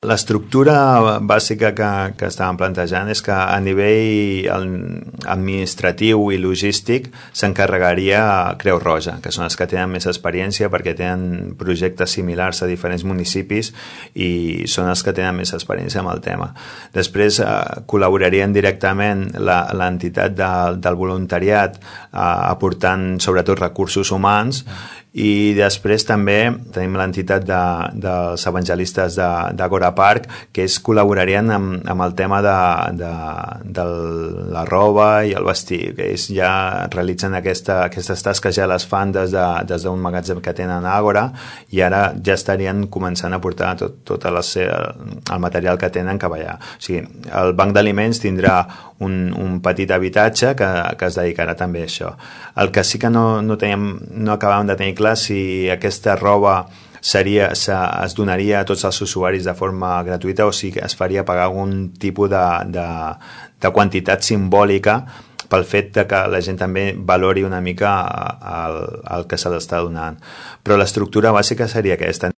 L'estructura bàsica que estàvem plantejant és que a nivell administratiu i logístic s'encarregaria Creu Roja, que són els que tenen més experiència perquè tenen projectes similars a diferents municipis i són els que tenen més experiència amb el tema. Després col·laborarien directament l'entitat del voluntariat aportant sobretot recursos humans i després també tenim l'entitat dels evangelistes d'Agora Park, que col·laborarien amb el tema de la roba i el vestir, que ells ja realitzen aquestes tasques, ja les fan des d'un magatzem que tenen a Agora i ara ja estarien començant a portar tot el material que tenen cap allà. O sigui, el banc d'aliments tindrà un petit habitatge que es dedicarà també a això. El que sí que no acabàvem de tenir clar si aquesta roba es donaria a tots els usuaris de forma gratuïta o si es faria pagar algun tipus de quantitat simbòlica pel fet que la gent també valori una mica el que se l'està donant. Però l'estructura bàsica seria aquesta.